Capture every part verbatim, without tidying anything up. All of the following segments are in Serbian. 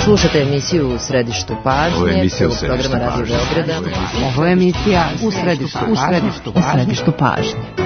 Slušate emisiju U središtu pažnje, prvog programa Radio Beograda. Ovo je emisija U središtu, u središtu, u središtu pažnje.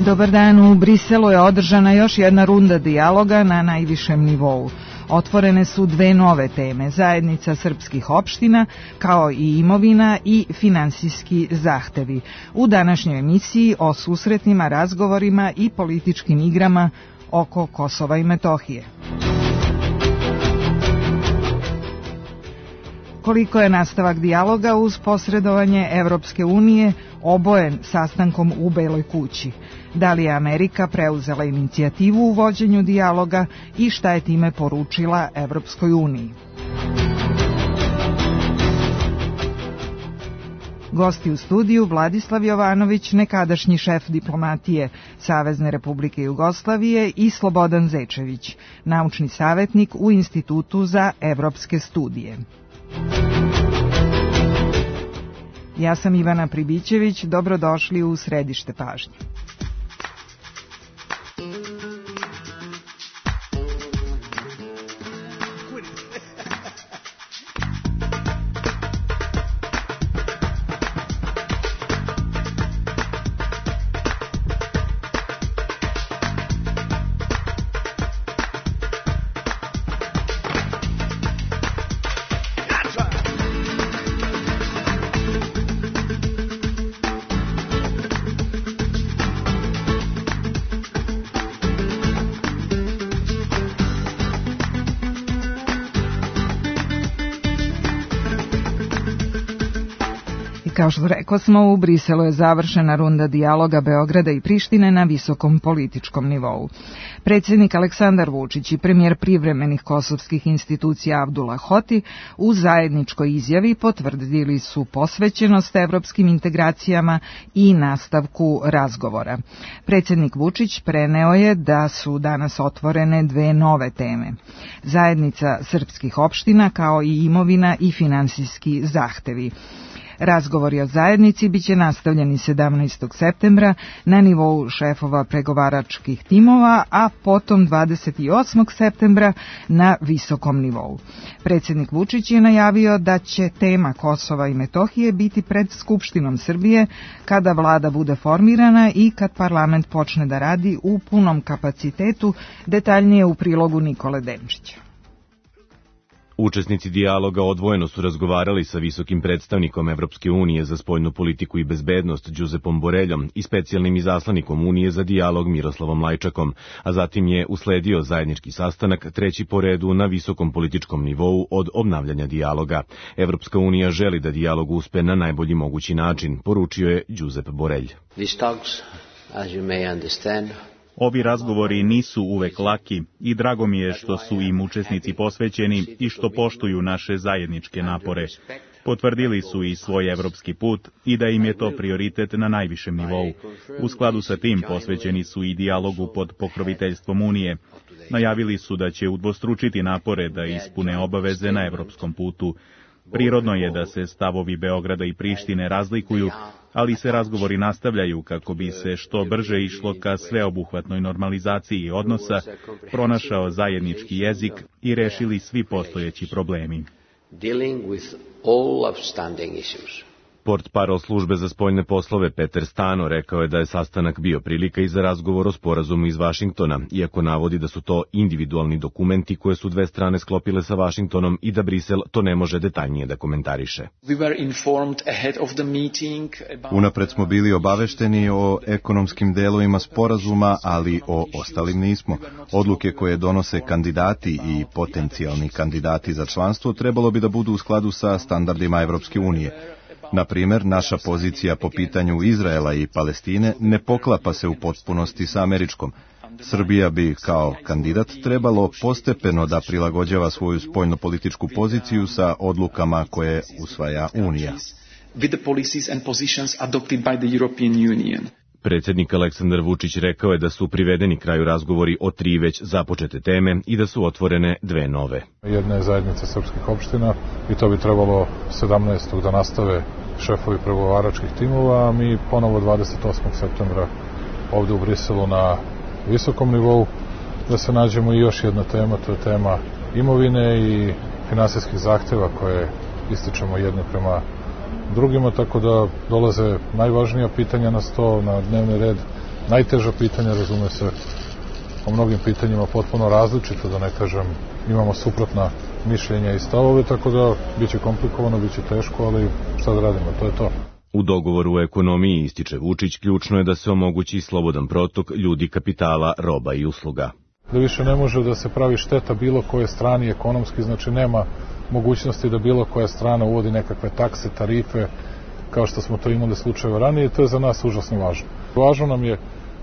Dobar dan, u Briselu je održana još jedna runda dijaloga na najvišem nivou. Otvorene su dve nove teme, zajednica srpskih opština, kao i imovina i finansijski zahtevi. U današnjoj emisiji o susretnima, razgovorima i političkim igrama oko Kosova i Metohije. Koliko je nastavak dijaloga uz posredovanje Evropske unije obojen sastankom u Beloj kući? Da li je Amerika preuzela inicijativu u vođenju dijaloga i šta je time poručila Evropskoj uniji? Gosti u studiju Vladislav Jovanović, nekadašnji šef diplomatije Savezne Republike Jugoslavije, i Slobodan Zečević, naučni savjetnik u Institutu za evropske studije. Ja sam Ivana Pribićević, dobrodošli u središte pažnje. Kao što rekao smo, u Briselu je završena runda dijaloga Beograda i Prištine na visokom političkom nivou. Predsjednik Aleksandar Vučić i premijer privremenih kosovskih institucija Abdullah Hoti u zajedničkoj izjavi potvrdili su posvećenost evropskim integracijama i nastavku razgovora. Predsjednik Vučić preneo je da su danas otvorene dve nove teme. Zajednica srpskih opština, kao i imovina i finansijski zahtevi. Razgovori o zajednici biće nastavljeni sedamnaestog septembra na nivou šefova pregovaračkih timova, a potom dvadeset osmog septembra na visokom nivou. Predsjednik Vučić je najavio da će tema Kosova i Metohije biti pred Skupštinom Srbije kada vlada bude formirana i kad parlament počne da radi u punom kapacitetu, detaljnije u prilogu Nikole Denčića. Učesnici dijaloga odvojeno su razgovarali sa visokim predstavnikom Evropske unije za spoljnu politiku i bezbednost Đuzepom Boreljom i specijalnim izaslanikom Unije za dijalog Miroslavom Lajčakom, a zatim je usledio zajednički sastanak, treći po redu na visokom političkom nivou od obnavljanja dijaloga. Evropska unija želi da dijalog uspe na najbolji mogući način, poručio je Đuzep Borelj. These talks, as you may understand, Ovi razgovori nisu uvek laki i drago mi je što su im učesnici posvećeni i što poštuju naše zajedničke napore. Potvrdili su i svoj evropski put i da im je to prioritet na najvišem nivou. U skladu sa tim posvećeni su i dijalogu pod pokroviteljstvom Unije. Najavili su da će udvostručiti napore da ispune obaveze na evropskom putu. Prirodno je da se stavovi Beograda i Prištine razlikuju, ali se razgovori nastavljaju kako bi se što brže išlo ka sveobuhvatnoj normalizaciji odnosa, pronašao zajednički jezik i rešili svi postojeći problemi. Portparol službe za spoljne poslove Peter Stano rekao je da je sastanak bio prilika i za razgovor o sporazumu iz Vašingtona, iako navodi da su to individualni dokumenti koje su dve strane sklopile sa Vašingtonom i da Brisel to ne može detaljnije da komentariše. Unapred smo bili obavešteni o ekonomskim delovima sporazuma, ali o ostalim nismo. Odluke koje donose kandidati i potencijalni kandidati za članstvo trebalo bi da budu u skladu sa standardima Evropske unije. Na primjer, naša pozicija po pitanju Izraela i Palestine ne poklapa se u potpunosti sa američkom. Srbija bi kao kandidat trebalo postepeno da prilagođava svoju spoljnopolitičku poziciju sa odlukama koje usvaja Unija. Predsjednik Aleksandar Vučić rekao je da su privedeni kraju razgovori o tri već započete teme i da su otvorene dve nove. Jedna je zajednica srpskih opština i to bi trebalo sedamnaestog da nastave šefovi pregovaračkih timova, a mi ponovo dvadeset osmog septembra ovde u Briselu na visokom nivou da se nađemo i još jedna tema, to je tema imovine i finansijskih zahteva koje ističemo jedni prema drugima, tako da dolaze najvažnija pitanja na sto, na dnevni red, najteža pitanja, razume se, o mnogim pitanjima potpuno različito, da ne kažem, imamo suprotna mišljenja i stavove, tako da biće komplikovano, biće teško, ali šta da radimo, to je to. U dogovoru o ekonomiji, ističe Vučić, ključno je da se omogući slobodan protok ljudi, kapitala, roba i usluga. Da više ne može da se pravi šteta bilo koje strani ekonomski, znači nema mogućnosti da bilo koja strana uvodi nekakve takse, tarife, kao što smo to imali slučajeve ranije, to je za nas užasno važno. Važno nam je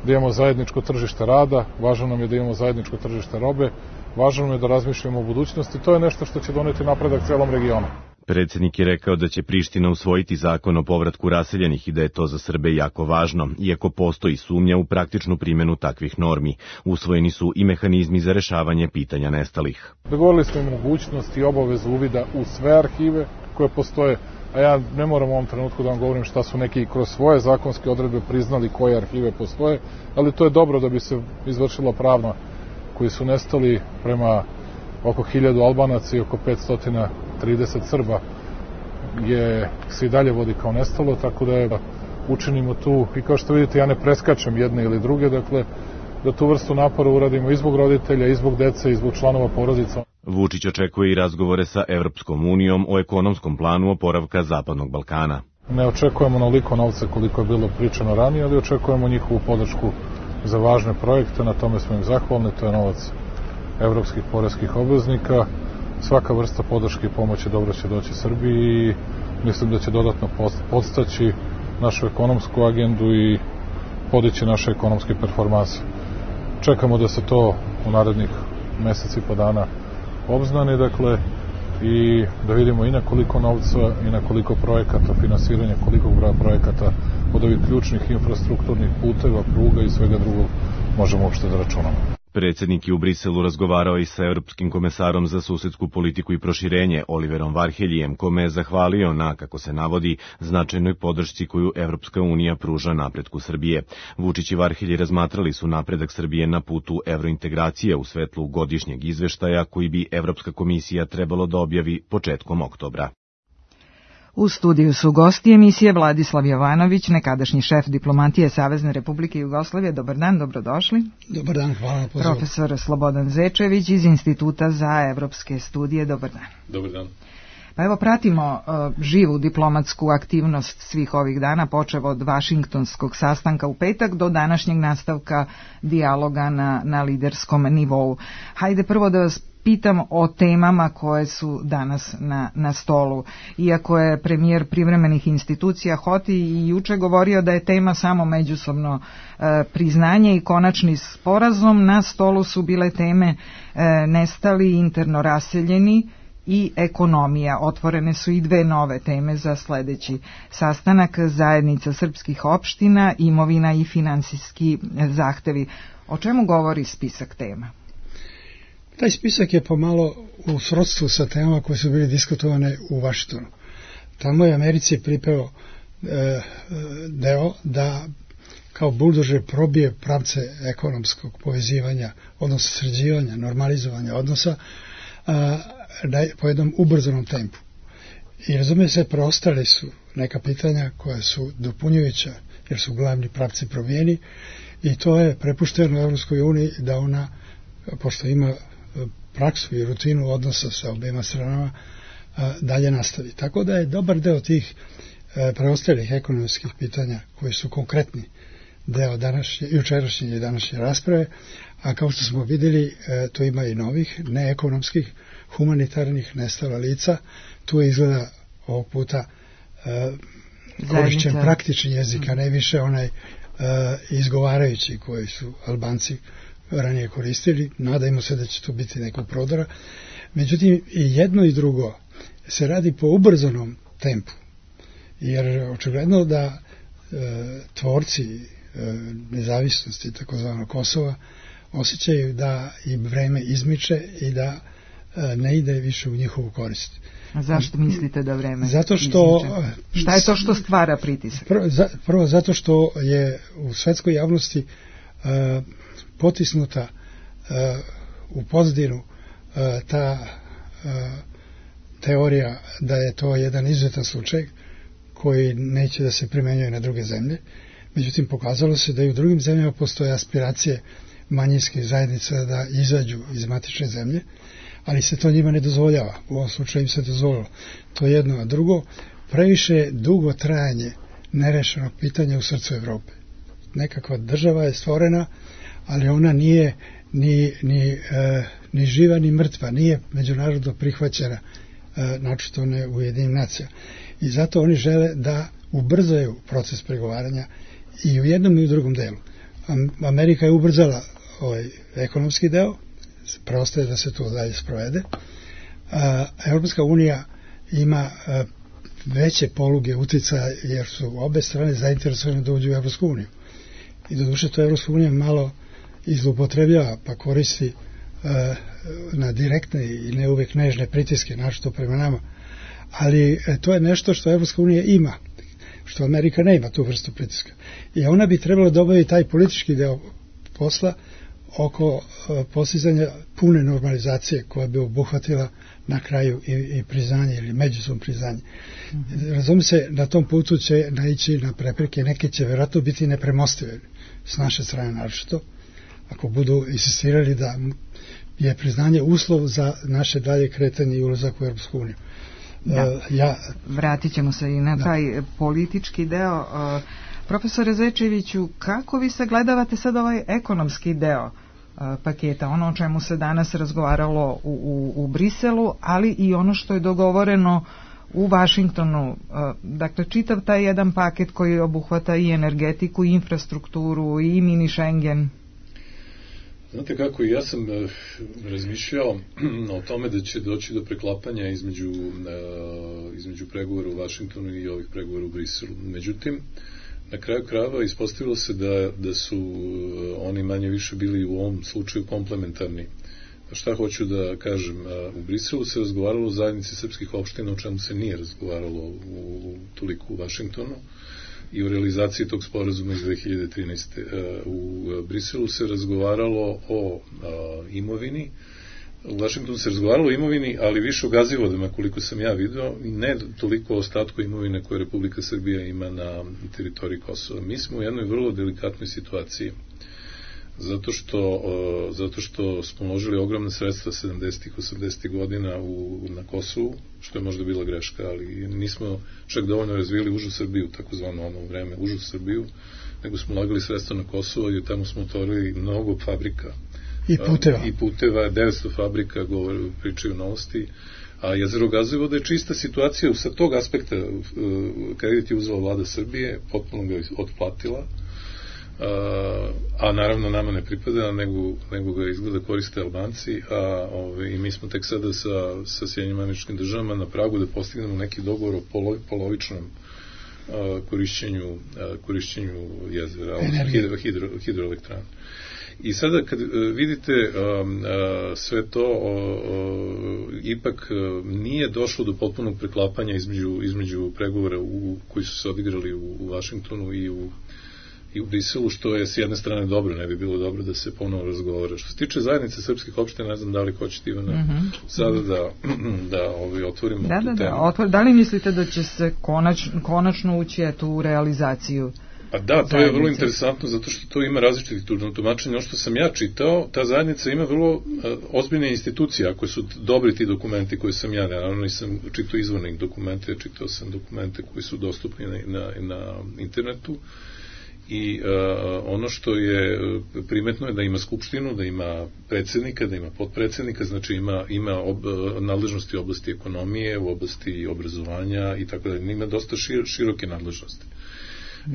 da imamo zajedničko tržište rada, važno nam je da imamo zajedničko tržište robe, važno nam je da razmišljamo o budućnosti, to je nešto što će doneti napredak celom regionu. Predsjednik je rekao da će Priština usvojiti zakon o povratku raseljenih i da je to za Srbe jako važno, iako postoji sumnja u praktičnu primjenu takvih normi. Usvojeni su i mehanizmi za rešavanje pitanja nestalih. Dogovorili smo mogućnost i obavezu uvida u sve arhive koje postoje, a ja ne moram u ovom trenutku da vam govorim šta su neki kroz svoje zakonske odredbe priznali koje arhive postoje, ali to je dobro da bi se izvršila pravna koji su nestali prema oko hiljadu Albanaca i oko petsto trideset Srba je se i dalje vodi kao nestalo, tako da je da učinimo tu, i kao što vidite ja ne preskačem jedne ili druge, dakle da tu vrstu napora uradimo i zbog roditelja, i zbog dece, i zbog članova porodica. Vučić očekuje i razgovore sa Evropskom unijom o ekonomskom planu oporavka Zapadnog Balkana. Ne očekujemo onoliko novca koliko je bilo pričano ranije, ali očekujemo njihovu podršku za važne projekte, na tome smo im zahvalni, to je novac evropskih poreskih obveznika. Svaka vrsta podrške i pomoći dobro će doći Srbiji i mislim da će dodatno podstaći našu ekonomsku agendu i podići naše ekonomske performanse. Čekamo da se to u narednih meseci i po dana obznani, dakle, i da vidimo i na koliko novca i na koliko projekata, finansiranja, koliko broja projekata od ovih ključnih infrastrukturnih puteva, pruga i svega drugog možemo uopšte da računamo. Predsjednik je u Briselu razgovarao i sa Europskim komesarom za susedsku politiku i proširenje Oliverom Varheljijem, kome je zahvalio na, kako se navodi, značajnoj podršci koju Evropska unija pruža napretku Srbije. Vučić i Varhelji razmatrali su napredak Srbije na putu evrointegracije u svetlu godišnjeg izveštaja koji bi Evropska komisija trebalo da objavi početkom oktobra. U studiju su gosti emisije Vladislav Jovanović, nekadašnji šef diplomatije Savezne Republike Jugoslavije. Dobar dan, dobrodošli. Dobar dan, hvala. Profesor Slobodan Zečević iz Instituta za evropske studije. Dobar dan. Dobar dan. Pa evo, pratimo uh, živu diplomatsku aktivnost svih ovih dana, počev od Vašingtonskog sastanka u petak do današnjeg nastavka dijaloga na, na liderskom nivou. Hajde prvo da vas pitam o temama koje su danas na, na stolu. Iako je premijer privremenih institucija Hoti i juče govorio da je tema samo međusobno e, priznanje i konačni sporazum, na stolu su bile teme e, nestali, interno raseljeni i ekonomija. Otvorene su i dve nove teme za sledeći sastanak: zajednica srpskih opština, imovina i finansijski zahtevi. O čemu govori spisak tema? Taj spisak je pomalo u srodstvu sa temama koje su bili diskutovane u Vašingtonu. Tamo je Americi pripeo e, deo da kao buldožer probije pravce ekonomskog povezivanja, odnosno sređivanja, normalizovanja odnosa a, da je po jednom ubrzanom tempu. I razumije se, preostali su neka pitanja koja su dopunjujuća, jer su glavni pravci promijeni, i to je prepušteno Evropskoj uniji da ona, pošto ima praksu i rutinu odnosa sa obema stranama, dalje nastavi. Tako da je dobar deo tih preostalih ekonomskih pitanja koji su konkretni deo današnje, jučerašnje i današnje rasprave, a kao što smo vidjeli, to ima i novih, neekonomskih, humanitarnih, nestala lica. Tu je izgleda ovog puta korišćen praktični jezik, a ne više onaj izgovarajući koji su Albanci ranije koristili. Nadajmo se da će to biti nekog prodora. Međutim, i jedno i drugo se radi po ubrzanom tempu, jer očigledno da e, tvorci e, nezavisnosti takozvanog Kosova osjećaju da im vreme izmiče i da e, ne ide više u njihovu korist. A zašto mislite da vreme Zato što izmiče? Šta je to što stvara pritisak? Prvo, za, prvo zato što je u svetskoj javnosti e, potisnuta e, u pozadinu e, ta e, teorija da je to jedan izuzetan slučaj koji neće da se primenjuje na druge zemlje. Međutim, pokazalo se da i u drugim zemljama postoje aspiracije manjinskih zajednica da izađu iz matične zemlje, ali se to njima ne dozvoljava. U ovom slučaju im se dozvolilo. To je jedno. A drugo, previše dugo trajanje nerešenog pitanja u srcu Evrope. Nekakva država je stvorena, ali ona nije ni, ni, e, ni živa ni mrtva, nije međunarodno prihvaćena, e, načito ne u Ujedinjenim nacijama. I zato oni žele da ubrzaju proces pregovaranja i u jednom i u drugom delu. Amerika je ubrzala ovaj ekonomski deo, preostaje da se to dalje sprovede. A, Evropska unija ima a, veće poluge uticaja, jer su obe strane zainteresovane da uđu u Evropsku uniju. I doduše to Evropska unija malo izlupotrebljava, pa koristi a, na direktne i ne uvek nežne pritiske, našto prema nama. Ali e, to je nešto što Evropska unija ima, što Amerika ne ima tu vrstu pritiska. I ona bi trebala da obavi taj politički deo posla oko e, postizanja pune normalizacije koja bi obuhvatila na kraju i, i priznanje ili međusobno priznanje. Mm-hmm. Razumije se, na tom putu će naići na prepreke, neke će vjerojatno biti nepremostive s naše strane naročito, ako budu insistirali da je priznanje uslov za naše dalje kretanje i ulazak u Europsku uniju. Da. Ja, vratit ćemo se i na da. taj politički deo. Profesore Zečeviću, kako vi sagledavate sad ovaj ekonomski deo paketa, ono o čemu se danas razgovaralo u, u, u Briselu, ali i ono što je dogovoreno u Vašingtonu, dakle čitav taj jedan paket koji obuhvata i energetiku, i infrastrukturu, i mini Schengen? Znate kako, ja sam uh, razmišljao o tome da će doći do preklapanja između, uh, između pregovora u Vašingtonu i ovih pregovora u Briselu. Međutim, na kraju krajeva ispostavilo se da, da su uh, oni manje više bili u ovom slučaju komplementarni. Šta hoću da kažem, uh, u Briselu se razgovaralo o zajednici srpskih opština, o čemu se nije razgovaralo u, u, toliko u Vašingtonu, i u realizaciji tog sporazuma iz dve hiljade trinaeste. U Briselu se razgovaralo o imovini, u Vašingtonu se razgovaralo o imovini, ali više o gazivodima, koliko sam ja vidio, i ne toliko o ostatku imovine koje Republika Srbija ima na teritoriji Kosova. Mi smo u jednoj vrlo delikatnoj situaciji, zato što, zato što smo uložili ogromne sredstva sedamdesetih, osamdesetih godina u, na Kosovu, što je možda bila greška, ali nismo čak dovoljno razvili užu Srbiju, takozvano ono vreme užu Srbiju, nego smo ulagali sredstva na Kosovo i tamo smo otvorili mnogo fabrika. I puteva. I puteva, devetsto fabrika, govore, pričaju novosti. A jezero Gazivoda je čista situacija sa tog aspekta. Kredit je uzela vlada Srbije, potpuno ga otplatila, Uh, a naravno nama ne pripada, nego, nego ga izgleda koriste Albanci, a ove, i mi smo tek sada sa, sa Sjedinjenim Američkim Državama na pragu da postignemo neki dogovor o polo, polovičnom uh, korišćenju, uh, korišćenju jezera, hidro, hidro, hidroelektrana. I sada kad uh, vidite um, uh, sve to, uh, uh, ipak uh, nije došlo do potpunog preklapanja između, između pregovora u, koji su se odigrali u, u Vašingtonu i u i u Briselu, što je s jedne strane dobro, ne bi bilo dobro da se ponovo razgovara. Što se tiče zajednice srpskih opština, ne znam da li hoćete, Ivana, mm-hmm. sada da, da ovaj, otvorimo da, tu da, temu. Da, otvor, da li mislite da će se konač, konačno ući eto, u realizaciju? Pa da, to je vrlo interesantno, zato što to ima različitih tumačenja. Ono što sam ja čitao, ta zajednica ima vrlo uh, ozbiljne institucije, ako su dobri ti dokumenti koje sam ja, naravno nisam čitao izvornih dokumente, čitao sam dokumente koji su dostupni na, na, na internetu, i uh, ono što je primetno je da ima skupštinu, da ima predsjednika, da ima potpredsjednika, znači ima, ima ob, nadležnosti u oblasti ekonomije, u oblasti obrazovanja i tako dalje. Ima dosta šir, široke nadležnosti.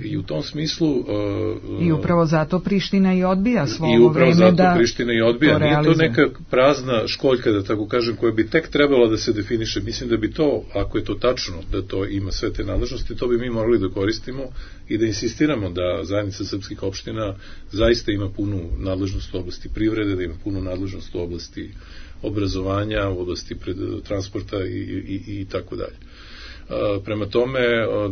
I u tom smislu... Uh, I upravo zato Priština i odbija svo ovo vreme da... I upravo zato Priština i odbija. Nije to neka prazna školjka, da tako kažem, koja bi tek trebala da se definiše. Mislim da bi to, ako je to tačno, da to ima sve te nadležnosti, to bi mi morali da koristimo i da insistiramo da zajednica srpskih opština zaista ima punu nadležnost u oblasti privrede, da ima punu nadležnost u oblasti obrazovanja, u oblasti pred, transporta i, i, i, i tako dalje. Prema tome,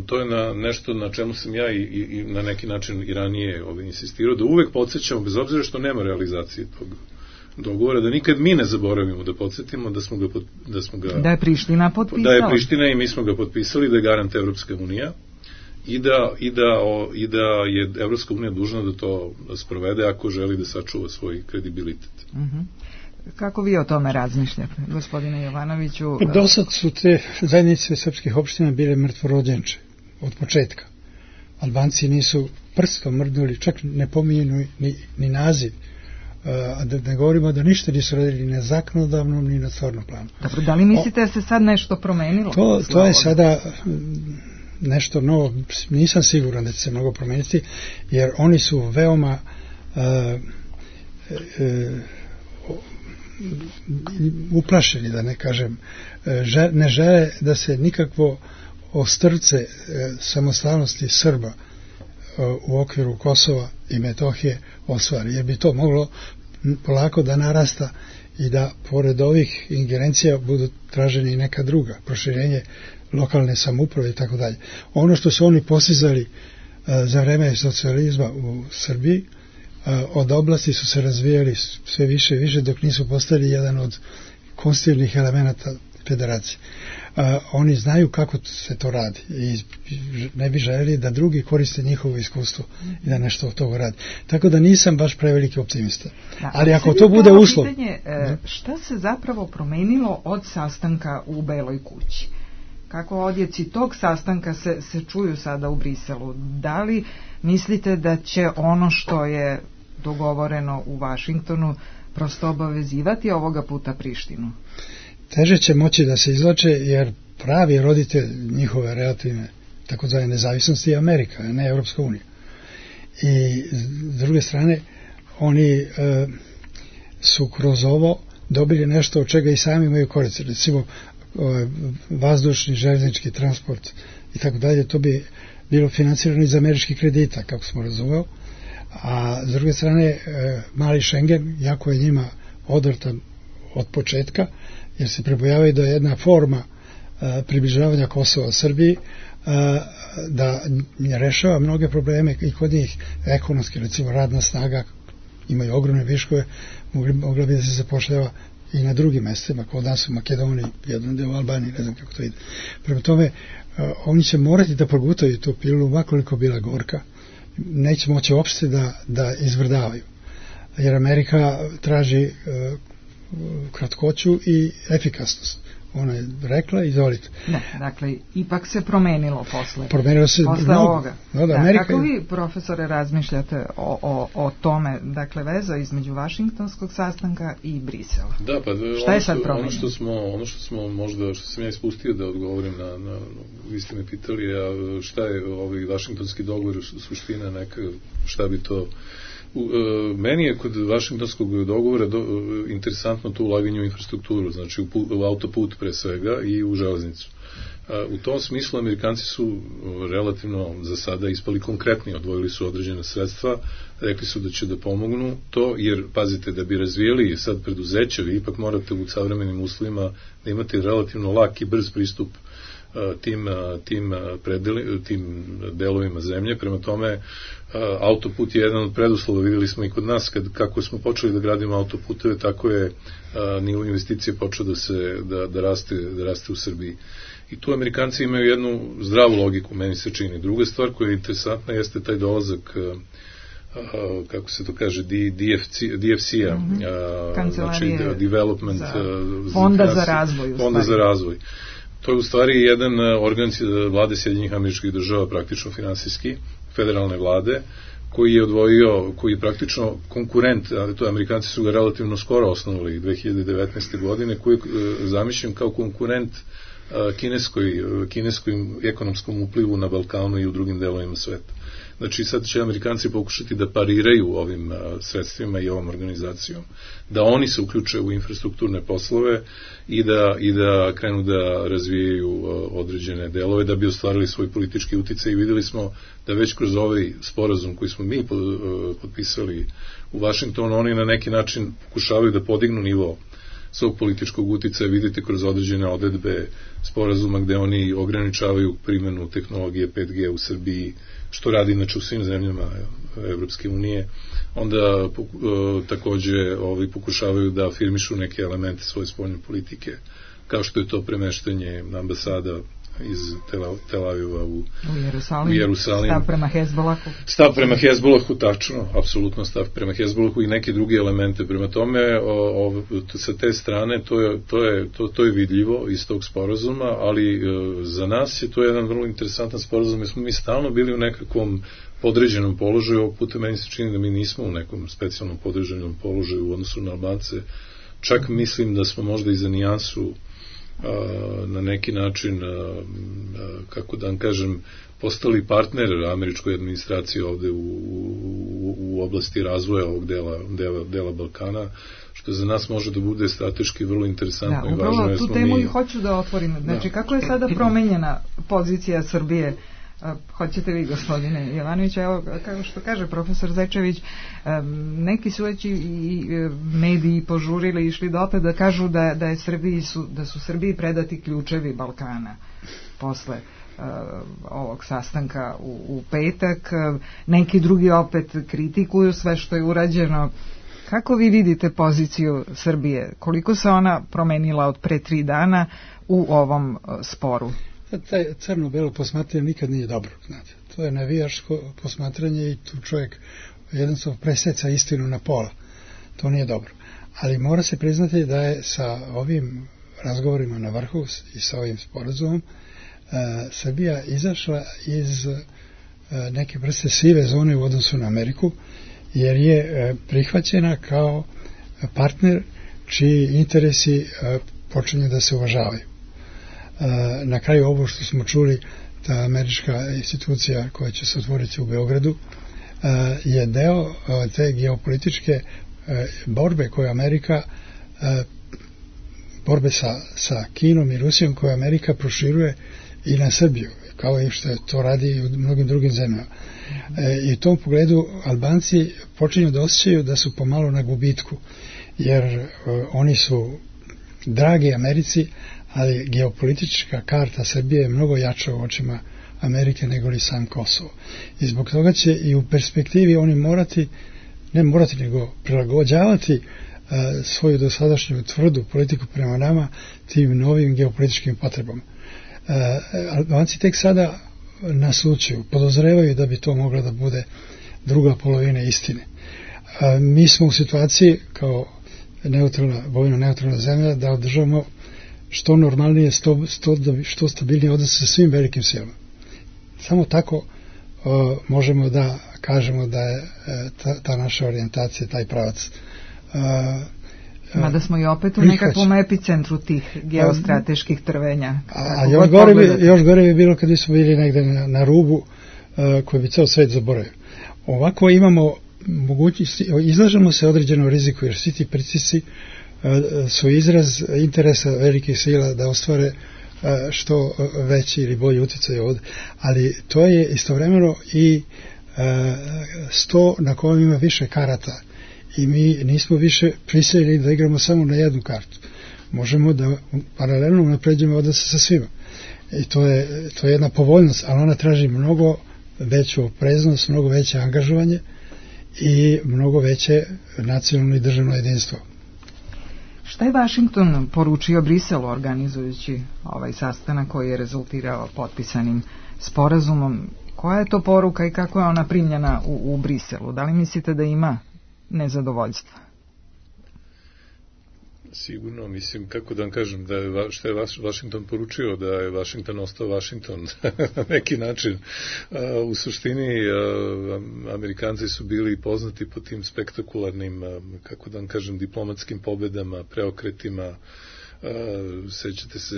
to je na nešto na čemu sam ja i, i, i na neki način i ranije ovaj, insistirao, da uvek podsjećamo, bez obzira što nema realizacije tog dogovora, da nikad mi ne zaboravimo da podsjetimo da smo ga, da smo ga da je Priština potpisala. Da je Priština i mi smo ga potpisali, da je garant Evropska unija i da, i da, o, i da je Evropska unija dužna da to sprovede ako želi da sačuva svoj kredibilitet. Mhm. Kako vi o tome razmišljate, gospodine Jovanoviću? Do sad su te zajednice srpskih opština bile mrtvorođenče od početka. Albanci nisu prstom mrdnuli, čak ne pominju ni, ni naziv. A da ne govorimo da ništa nisu radili ni na zakonodavnom ni na stvarnom planu. Dobro, da li mislite da se sad nešto promenilo? To, to je sada nešto novo, nisam siguran da će se mnogo promeniti, jer oni su veoma uh, uh, uplašeni, da ne kažem, ne žele da se nikakvo ostrvce samostalnosti Srba u okviru Kosova i Metohije ostvari, jer bi to moglo polako da narasta i da pored ovih ingerencija budu traženi i neka druga, proširenje lokalne samouprave i tako dalje. Ono što su oni postizali za vreme socijalizma u Srbiji, od oblasti su se razvijali sve više i više dok nisu postali jedan od konstitutivnih elemenata federacije. Oni znaju kako se to radi i ne bi željeli da drugi koriste njihovo iskustvo i da nešto od toga radi. Tako da nisam baš preveliki optimista. Da, ali ako to bude uslov... Pitanje, šta se zapravo promenilo od sastanka u Beloj kući? Kako odjeci tog sastanka se, se čuju sada u Briselu? Da li mislite da će ono što je dogovoreno u Vašingtonu prosto obavezivati ovoga puta Prištinu? Teže će moći da se izlače, jer pravi roditelj njihove relativne takozvane nezavisnosti je Amerika, a ne Evropska unija. I s druge strane, oni e, su kroz ovo dobili nešto od čega i sami imaju koristi. Recimo, e, vazdušni, željeznički transport i tako dalje, to bi bilo financirano iz američkih kredita, kako smo razumeli. A s druge strane, e, mali Schengen, jako je njima odvrtan od početka, jer se prebojavaju da je jedna forma e, približavanja Kosova Srbiji e, da rešava mnoge probleme i kod njih ekonomski, recimo radna snaga, imaju ogromne viškove, mogla bi da se zapošljava i na drugim mestima, kod nas u Makedoniji, jedan deo u Albaniji, ne znam kako to ide. Prema tome, e, oni će morati da progutaju tu pilu, makoliko bila gorka, neće moći uopšte da, da izvrdavaju. Jer Amerika traži e, kratkoću i efikasnost. Ona je rekla, izvolite. Da, dakle, ipak se promenilo posle. Promenilo se posle mnogo. Ovoga. No, da, da, Amerika... Kako vi, profesore, razmišljate o, o, o tome, dakle, veza između Vašingtonskog sastanka i Brisela? Da, pa šta je sad ono što smo, ono što smo možda, što sam ja ispustio da odgovorim na, na vi ste me pitali, a šta je ovaj Vašingtonski dogovor, suština neka, šta bi to... U, e, meni je kod Vašingtonskog dogovora do, e, interesantno to ulaganje u infrastrukturu, znači u, u autoput pre svega i u železnicu. E, u tom smislu Amerikanci su relativno za sada ispali konkretni, odvojili su određena sredstva, rekli su da će da pomognu to, jer pazite, da bi razvijeli sad preduzeća, vi ipak morate u savremenim uslovima da imate relativno lak i brz pristup tim, tim, predeli, tim delovima zemlje. Prema tome, autoput je jedan od preduslova, videli smo i kod nas, kad, kako smo počeli da gradimo autoputeve, tako je nivo investicije počeo da, se, da, da, raste, da raste u Srbiji. I tu Amerikanci imaju jednu zdravu logiku, meni se čini. Druga stvar koja je interesantna jeste taj dolazak, kako se to kaže, D F C-a, mm-hmm. znači Development za Fonda za razvoj. Fonda za razvoj. To je u stvari jedan organ vlade Sjedinjenih Američkih Država, praktično finansijski, federalne vlade, koji je odvojio, koji je praktično konkurent, ali to Amerikanci su ga relativno skoro osnovali dve hiljade devetnaeste. godine, koji je zamišljen kao konkurent kineskoj, kineskom ekonomskom uplivu na Balkanu i u drugim delovima sveta. Znači sad će Amerikanci pokušati da pariraju ovim sredstvima i ovom organizacijom, da oni se uključe u infrastrukturne poslove i da, i da krenu da razvijaju određene delove da bi ostvarili svoj politički uticaj. I videli smo da već kroz ovaj sporazum koji smo mi potpisali u Vašingtonu, oni na neki način pokušavaju da podignu nivo svog političkog uticaja. Vidite kroz određene odredbe sporazuma gde oni ograničavaju primjenu tehnologije pet G u Srbiji, što radi inače u svim zemljama Evropske unije. Onda takođe ovi pokušavaju da afirmišu neke elemente svoje spoljne politike, kao što je to premeštanje ambasada iz Tel Aviva u, u Jerusalim, u Jerusalim. Stav prema Hezbolahu. Stav prema Hezbolahu, tačno, apsolutno stav prema Hezbolahu i neke druge elemente. Prema tome, o, o, sa te strane, to je, to, je, to, to je vidljivo iz tog sporazuma, ali e, za nas je to jedan vrlo interesantan sporazum, jer smo mi stalno bili u nekakvom podređenom položaju. Ovog puta meni se čini da mi nismo u nekom specijalnom podređenom položaju u odnosu na Albance. Čak mislim da smo možda i za nijansu na neki način, kako da vam kažem, postali partner američkoj administraciji ovde u, u, u oblasti razvoja ovog dela, dela, dela Balkana, što za nas može da bude strateški vrlo interesantno da, i važno. Da, tu temu mi... i hoću da otvorim. Znači, da. Kako je sada promenjena pozicija Srbije? Hoćete vi, gospodine Jovanović, evo, kao što kaže profesor Zečević, neki su već i mediji požurili, išli dotle da kažu da, da, je Srbiji su, da su Srbiji predati ključevi Balkana posle uh, ovog sastanka u, u petak. Neki drugi opet kritikuju sve što je urađeno. Kako vi vidite poziciju Srbije? Koliko se ona promenila od pre tri dana u ovom uh, sporu? Taj crno-belo posmatranje nikad nije dobro, znate. To je navijaško posmatranje i tu čovjek jednostavno preseca istinu na pola. To nije dobro. Ali mora se priznati da je sa ovim razgovorima na vrhu i sa ovim sporazumom uh, Srbija izašla iz uh, neke vrste sive zone u odnosu na Ameriku, jer je uh, prihvaćena kao partner čiji interesi uh, počinju da se uvažavaju. Na kraju ovo što smo čuli, ta američka institucija koja će se otvoriti u Beogradu je deo te geopolitičke borbe koje Amerika borbe sa, sa Kinom i Rusijom koje Amerika proširuje i na Srbiju, kao i što to radi i u mnogim drugim zemljama. I u tom pogledu Albanci počinju da osjećaju da su pomalo na gubitku, jer oni su dragi Americi, ali geopolitička karta Srbije je mnogo jača u očima Amerike nego li sam Kosovo. I zbog toga će i u perspektivi oni morati, ne morati, nego prilagođavati uh, svoju dosadašnju tvrdu politiku prema nama tim novim geopolitičkim potrebama. Uh, Albanci tek sada naslućuju, podozrevaju da bi to mogla da bude druga polovina istine. Uh, mi smo u situaciji kao neutralna, vojno neutralna zemlja da održavamo što normalnije, sto, sto, što stabilnije odnose sa svim velikim silama. Samo tako uh, možemo da kažemo da je uh, ta, ta naša orijentacija, taj pravac. Uh, Mada smo i opet u nekakvom epicentru tih geostrateških trvenja. A, a još, gore bi, još gore bi bilo kad smo bili negde na, na rubu uh, koji bi ceo svet zaboravio. Ovako imamo mogućnosti, izlažemo se određenom riziku, jer svi ti pritisci su izraz interesa velikih sila da ostvare što veći ili bolji utjecaj ovdje. Ali to je istovremeno i sto na kojem ima više karata i mi nismo više prisiljeni da igramo samo na jednu kartu. Možemo da paralelno napređujemo odnose sa svima. I to je, to je jedna povoljnost, ali ona traži mnogo veću opreznost, mnogo veće angažovanje i mnogo veće nacionalno i državno jedinstvo. Šta je Vašington poručio Briselu organizujući ovaj sastanak koji je rezultirao potpisanim sporazumom? Koja je to poruka i kako je ona primljena u, u Briselu? Da li mislite da ima nezadovoljstva? Sigurno, mislim, kako da vam kažem, da je, što je Vaš, Vašington poručio, da je Vašington ostao Vašington na neki način. A, u suštini, a, Amerikanci su bili poznati po tim spektakularnim, a, kako da vam kažem, diplomatskim pobedama, preokretima. A, sećate se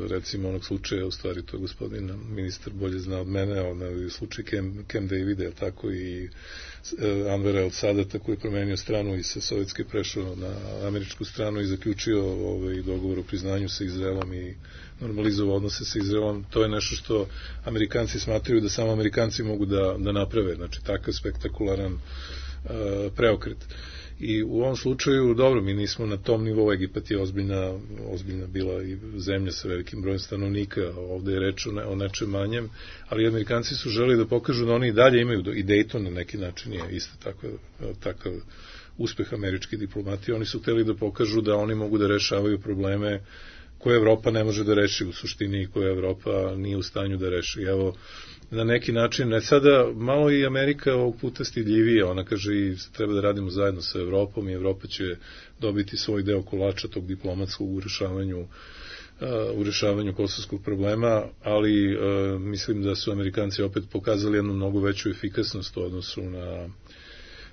recimo onog slučaja, u stvari to je gospodin ministar bolje zna od mene, onaj slučaj Camp, Camp Davida, tako i Anvera El Sadata koji je promenio stranu i sa sovjetske prešao na američku stranu i zaključio ovaj dogovor o priznanju sa Izraelom i normalizovao odnose sa Izraelom. To je nešto što Amerikanci smatraju da samo Amerikanci mogu da, da naprave, znači takav spektakularan uh, preokret. I u ovom slučaju, dobro, mi nismo na tom nivou, Egipat je ozbiljna, ozbiljna bila i zemlja sa velikim brojem stanovnika, ovde je reč o, ne, o nečem manjem, ali Amerikanci su želeli da pokažu da oni i dalje imaju, i Dayton na neki način je isto takav, takav uspeh američke diplomatije, oni su hteli da pokažu da oni mogu da rešavaju probleme koje Evropa ne može da reši u suštini i koje Evropa nije u stanju da reši. Evo, na neki način, ne sada, malo i Amerika ovog puta stidljivije, ona kaže i treba da radimo zajedno sa Evropom i Evropa će dobiti svoj deo kolača tog diplomatskog u rešavanju, uh, u rešavanju kosovskog problema, ali uh, mislim da su Amerikanci opet pokazali jednu mnogo veću efikasnost u odnosu na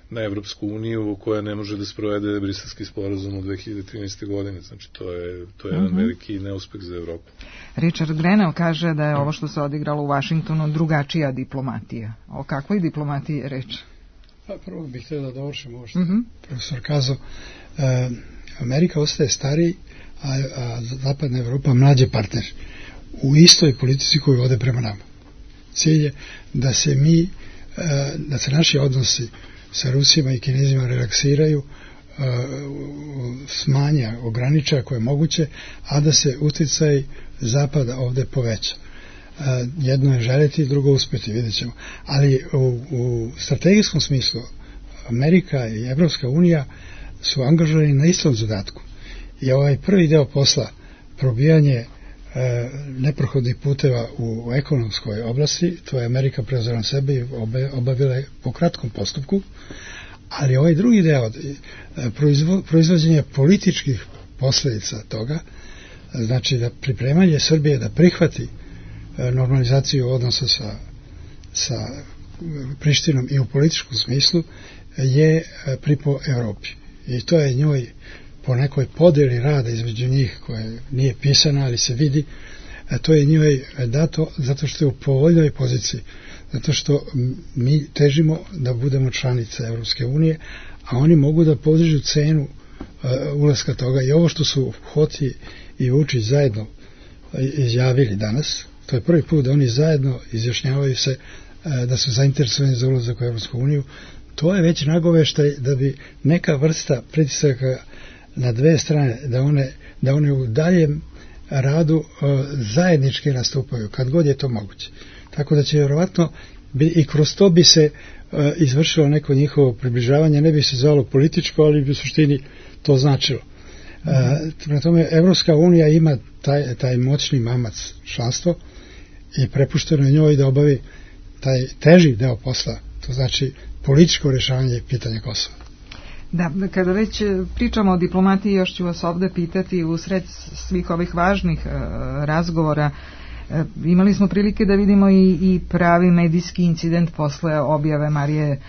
na Evropsku uniju koja ne može da sprovede Briselski sporazum u dve hiljade trinaeste. godine. Znači, to je, to je jedan uh-huh. veliki neuspeh za Evropu. Richard Grenell kaže da je ovo što se odigralo u Vašingtonu drugačija diplomatija. O kakvoj diplomatiji je reč? Pa prvo bih htio da dovršim ovo što uh-huh. profesor kazao. E, Amerika ostaje stariji, a, a zapadna Evropa mlađe partner u istoj politici koju vode prema nama. Cilj je da se mi, e, da se naši odnosi sa Rusima i Kinezima relaksiraju, uh, smanja, ograniča ako je moguće, a da se uticaj Zapada ovde poveća. Uh, jedno je želiti, drugo uspeti, vidjet ćemo. Ali u, u strategijskom smislu Amerika i Evropska unija su angažovani na istom zadatku. I ovaj prvi deo posla, probijanje neprohodnih puteva u ekonomskoj oblasti, to je Amerika preuzela na sebe i obavila po kratkom postupku, ali ovaj drugi deo, proizvođenje političkih posledica toga, znači da pripremanje Srbije da prihvati normalizaciju odnosa sa, sa Prištinom i u političkom smislu, je pripo Evropi. I to je njoj po nekoj podeli rada između njih koja nije pisana, ali se vidi, a to je njoj dato zato što je u povoljnoj poziciji, zato što mi težimo da budemo članice Evropske unije, a oni mogu da podržu cenu uh, ulaska toga. I ovo što su Hoti i Vučić zajedno izjavili danas, to je prvi put da oni zajedno izjašnjavaju se uh, da su zainteresovani za ulazak u Evropsku uniju. To je već nagoveštaj da bi neka vrsta pritisaka na dve strane, da one, da one u daljem radu uh, zajednički nastupaju, kad god je to moguće. Tako da će vjerovatno bi, i kroz to bi se uh, izvršilo neko njihovo približavanje, ne bi se zvalo političko, ali bi u suštini to značilo. Uh, prema tome, Evropska unija ima taj, taj moćni mamac članstvo i prepušteno je njoj da obavi taj teži deo posla, to znači političko rješavanje pitanja Kosova. Da, kada već pričamo o diplomatiji, još ću vas ovde pitati u sred svih ovih važnih e, razgovora. E, imali smo prilike da vidimo i, i pravi medijski incident posle objave Marije e,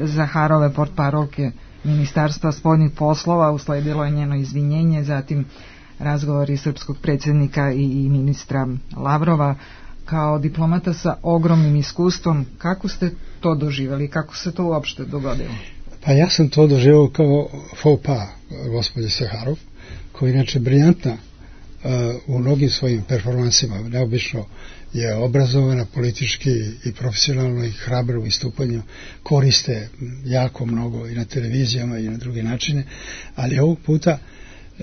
Zaharove, portparolke Ministarstva spoljnih poslova, usledilo je njeno izvinjenje, zatim razgovori srpskog predsjednika i, i ministra Lavrova. Kao diplomata sa ogromnim iskustvom, kako ste to doživjeli, kako se to uopšte dogodilo? Pa ja sam to doživio kao faux pas gospođe Zaharov, koja je inače briljantna uh, u mnogim svojim performansima. Neobično je obrazovana politički i profesionalno i hrabra u istupanju, koriste jako mnogo i na televizijama i na druge načine, ali ovog puta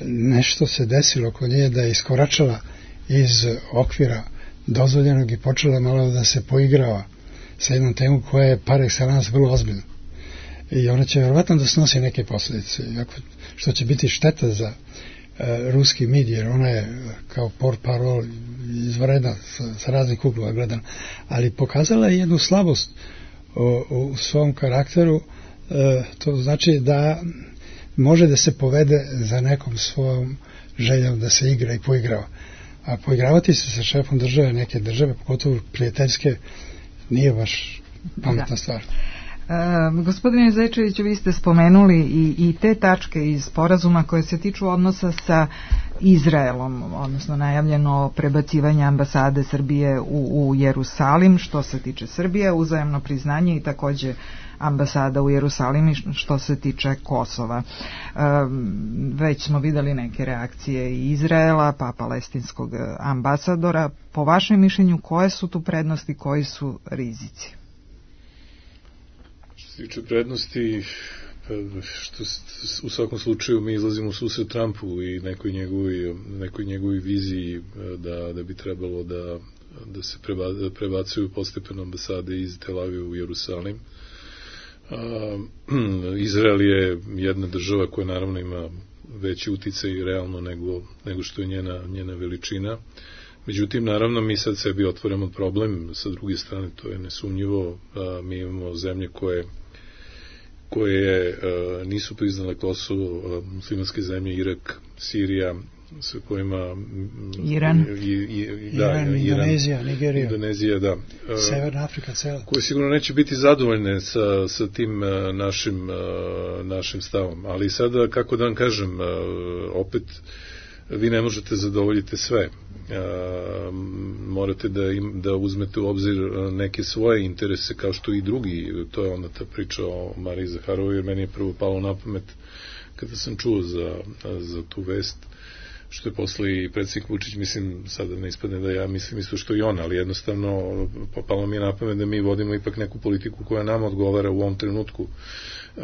nešto se desilo kod nje da je iskoračala iz okvira dozvoljenog i počela malo da se poigrava sa jednom temom koja je par excellence vrlo ozbiljna. I ona će vjerovatno da snosi neke posljedice, što će biti šteta za uh, ruski med, jer ona je kao portparol izvredna sa, sa raznih uglova gledana, ali pokazala je jednu slabost u, u svom karakteru, uh, to znači da može da se povede za nekom svojom željom da se igra i poigrava. A poigravati se sa šefom države neke države, pogotovo prijateljske, nije baš pametna da. stvar. E, gospodine Zečeviću, vi ste spomenuli i, i te tačke iz sporazuma koje se tiču odnosa sa Izraelom, odnosno najavljeno prebacivanje ambasade Srbije u, u Jerusalim, što se tiče Srbije, uzajamno priznanje i takođe ambasada u Jerusalimi što se tiče Kosova. E, već smo videli neke reakcije i Izraela, pa palestinskog ambasadora. Po vašem mišljenju, koje su tu prednosti, koji su rizici? Što se tiče prednosti, što u svakom slučaju mi izlazimo u susret Trumpu i nekoj njegovoj, nekoj njegovoj viziji da, da bi trebalo da, da se preba, prebacuju postepeno ambasade iz Tel Aviva u Jerusalim. A, Izrael je jedna država koja naravno ima veći uticaj realno nego, nego što je njena, njena veličina. Međutim, naravno, mi sad sebi otvoramo problem, sa druge strane to je nesumnjivo, a, mi imamo zemlje koje koje a, nisu priznale Kosovo, a, muslimanske zemlje, Irak, Sirija, sa kojima Iran, i, i, da, Iran, Iran Indonezija, Nigerija, Indonezija, da. Severna Afrika cela. Koje sigurno neće biti zadovoljne sa, sa tim uh, našim, uh, našim stavom. Ali sada, kako da vam kažem, uh, opet vi ne možete zadovoljiti sve. Uh, morate da, im, da uzmete u obzir neke svoje interese kao što i drugi. To je onda ta priča o Mariji Zaharovoj, jer meni je prvo palo na pamet kada sam čuo za, za tu vest, što je posle i predsjednik Vučić, mislim, sada ne ispadne da ja mislim isto što i on, ali jednostavno popalo mi je na pamet da mi vodimo ipak neku politiku koja nama odgovara u ovom trenutku uh,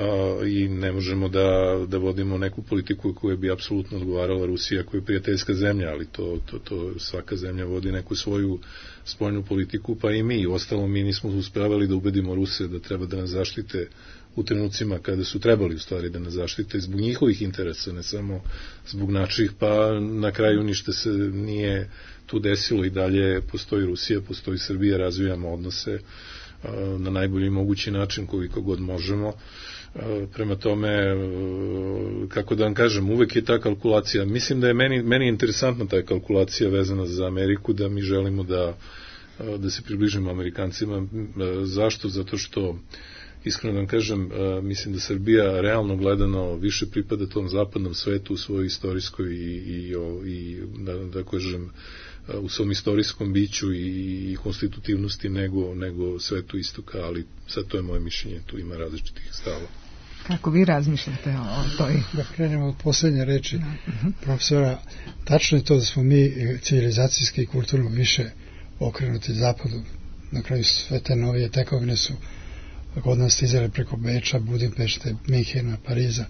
i ne možemo da, da vodimo neku politiku koja bi apsolutno odgovarala Rusija, koja je prijateljska zemlja, ali to, to, to svaka zemlja vodi neku svoju spoljnu politiku, pa i mi. Ostalo mi nismo uspevali da ubedimo Ruse da treba da nas zaštite u trenucima kada su trebali u stvari da nas zaštite zbog njihovih interesa, ne samo zbog naših, pa na kraju ništa se nije tu desilo i dalje postoji Rusija, postoji Srbija, razvijamo odnose uh, na najbolji mogući način koliko god možemo. Uh, prema tome, uh, kako da vam kažem, uvek je ta kalkulacija, mislim da je meni, meni interesantna ta kalkulacija vezana za Ameriku, da mi želimo da, uh, da se približimo Amerikancima. Uh, zašto? Zato što iskreno da vam kažem, mislim da Srbija realno gledano više pripada tom zapadnom svetu u svojoj istorijskoj i, i, i da, da kažem, u svom istorijskom biću i, i konstitutivnosti nego, nego svetu istoka, ali sad to je moje mišljenje, tu ima različitih stava. Kako vi razmišljate o toj? Da krenemo od posljednje reči profesora, tačno je to da smo mi civilizacijski i kulturno više okrenuti zapadu. Na kraju sve te novije tekovine su kod nas stizale preko Beča, Budimpešte, Minhena, Pariza,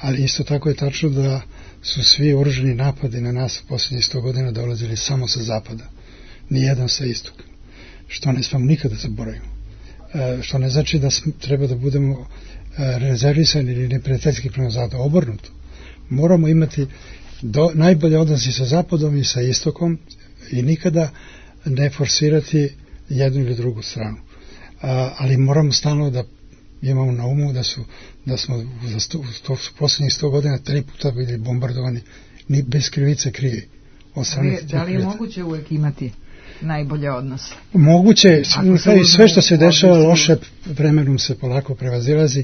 ali isto tako je tačno da su svi oružani napadi na nas u posljednjih sto godina dolazili samo sa zapada, nijedan sa istoka, što ne smemo nikada zaboravimo. E, što ne znači da treba da budemo e, rezervisani ili neprijateljski prema zapadu, obrnuto. Moramo imati do, najbolje odnosi sa zapadom i sa istokom i nikada ne forsirati jednu ili drugu stranu. A, ali moramo stalno da imamo na umu da su da smo za sto, sto, posljednjih sto godina tri puta bili bombardovani ni bez krivice krivi. Ali, da li je moguće uvek imati najbolje odnose? Moguće, sve što se dešava loše vremenom se polako prevazilazi.